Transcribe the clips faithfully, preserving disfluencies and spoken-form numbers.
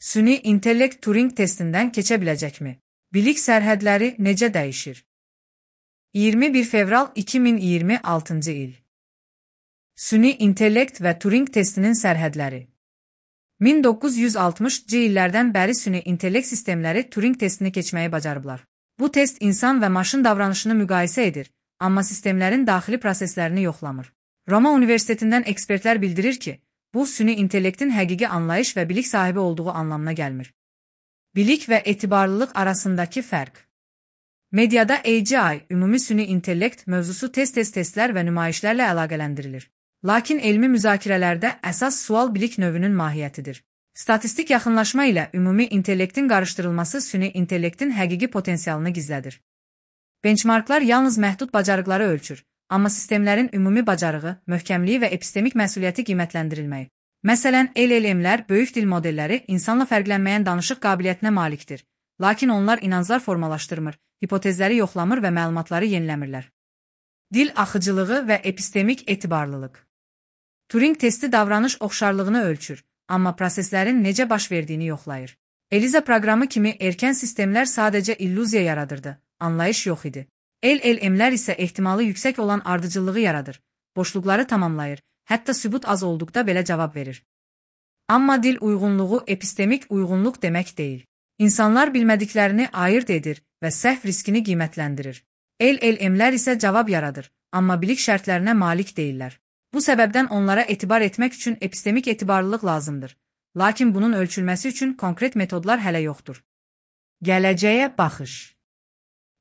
Süni intellekt Turing testindən keçə biləcəkmi? Bilik sərhədləri necə dəyişir? iyirmi bir fevral iki min iyirmi altıncı il. Süni intellekt və Turing testinin sərhədləri. min doqquz yüz altmışıncı illərdən bəri süni intellekt sistemləri Turing testini keçməyi bacarıblar. Bu test insan və maşın davranışını müqayisə edir, amma sistemlərin daxili proseslərini yoxlamır. Roma Universitetindən ekspertlər bildirir ki, bu süni intellektin həqiqi anlayış və bilik sahibi olduğu anlamına gəlmir. Bilik və etibarlılıq arasındakı fərq. Mediada A G I, ümumi süni intellekt mövzusu test-test testlər və nümayişlərlə əlaqələndirilir. Lakin elmi müzakirələrdə əsas sual bilik növünün mahiyyətidir. Statistik yaxınlaşma ilə ümumi intellektin qarışdırılması süni intellektin həqiqi potensialını gizlədir. Benchmarklar yalnız məhdud bacarıqları ölçür, amma sistemlərin ümumi bacarığı, möhkəmliyi və epistemik məsuliyyəti qiymətləndirilməyi. Məsələn, L L M-lər, böyük dil modelləri insanla fərqlənməyən danışıq qabiliyyətinə malikdir, lakin onlar inanclar formalaşdırmır, hipotezləri yoxlamır və məlumatları yeniləmirlər. Dil axıcılığı və epistemik etibarlılıq. Turing testi davranış oxşarlığını ölçür, amma proseslərin necə baş verdiyini yoxlayır. ELIZA proqramı kimi erkən sistemlər sadəcə illüziya yaradırdı, anlayış yox idi. L L M-lər isə ehtimalı yüksək olan ardıcıllığı yaradır, boşluqları tamamlayır, hətta sübut az olduqda belə cavab verir. Amma dil uyğunluğu epistemik uyğunluq demək deyil. İnsanlar bilmədiklərini ayırt edir və səhv riskini qiymətləndirir. L L M-lər isə cavab yaradır, amma bilik şərtlərinə malik deyillər. Bu səbəbdən onlara etibar etmək üçün epistemik etibarlılıq lazımdır. Lakin bunun ölçülməsi üçün konkret metodlar hələ yoxdur. Gələcəyə baxış.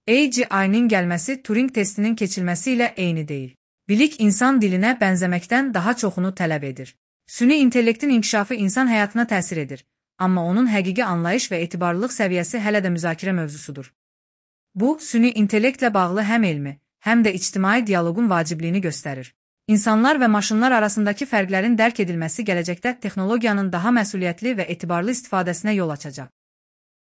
A G I-nin gəlməsi Turing testinin keçilməsi ilə eyni deyil. Bilik insan dilinə bənzəməkdən daha çoxunu tələb edir. Süni intellektin inkişafı insan həyatına təsir edir, amma onun həqiqi anlayış və etibarlılıq səviyyəsi hələ də müzakirə mövzusudur. Bu, süni intellektlə bağlı həm elmi, həm də ictimai dialoqun vacibliyini göstərir. İnsanlar və maşınlar arasındakı fərqlərin dərk edilməsi gələcəkdə texnologiyanın daha məsuliyyətli və etibarlı istifadəsinə yol açacaq.